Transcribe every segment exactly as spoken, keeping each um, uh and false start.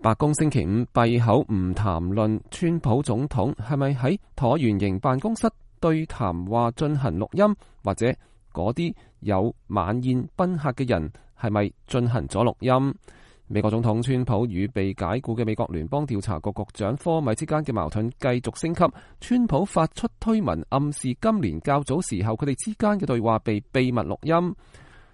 白宮星期五閉口唔談論川普總統係咪喺橢圓形辦公室對談話進行錄音，或者嗰啲有晚宴賓客嘅人係咪進行咗錄音。美國總統川普與被解雇嘅美國聯邦調查局局長科米之間嘅矛盾繼續升級。川普發出推文暗示今年較早時候佢哋之間嘅對話被秘密錄音。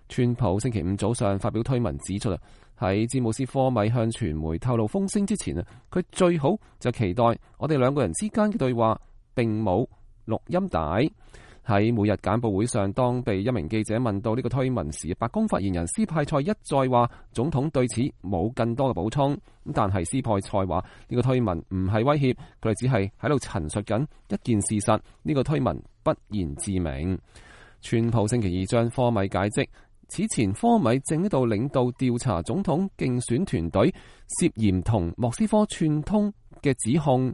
川普星期五早上發表推文指出啊，喺詹姆斯科米向傳媒透露風聲之前啊，佢最好就期待我哋兩個人之間嘅對話並冇錄音帶。喺每日簡報會上，當被一名記者問到呢個推文時，白宮發言人斯派塞一再話總統對此冇更多嘅補充。但係斯派塞話呢個推文唔係威脅，佢哋只係喺度陳述緊一件事實。呢個推文不言自明。川普星期二將科米解職。此前科米正喺度領導調查總統競選團隊涉嫌同莫斯科串通嘅指控。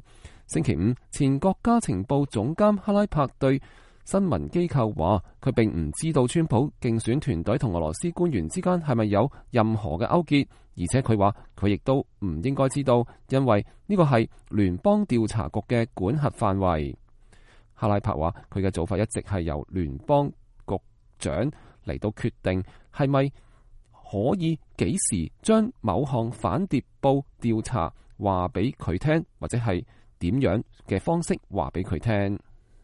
星期五，前國家情報總監哈拉柏對新聞機構話，佢並唔知道川普競選團隊同俄羅斯官員之間係咪有任何嘅勾結，而且佢話佢亦都唔應該知道，因為呢個係聯邦調查局嘅管轄範圍。哈拉柏話佢嘅做法一直係由聯邦局長嚟到決定係咪可以幾時將某項反諜報調查話俾佢聽，或者係點樣嘅方式話俾佢聽。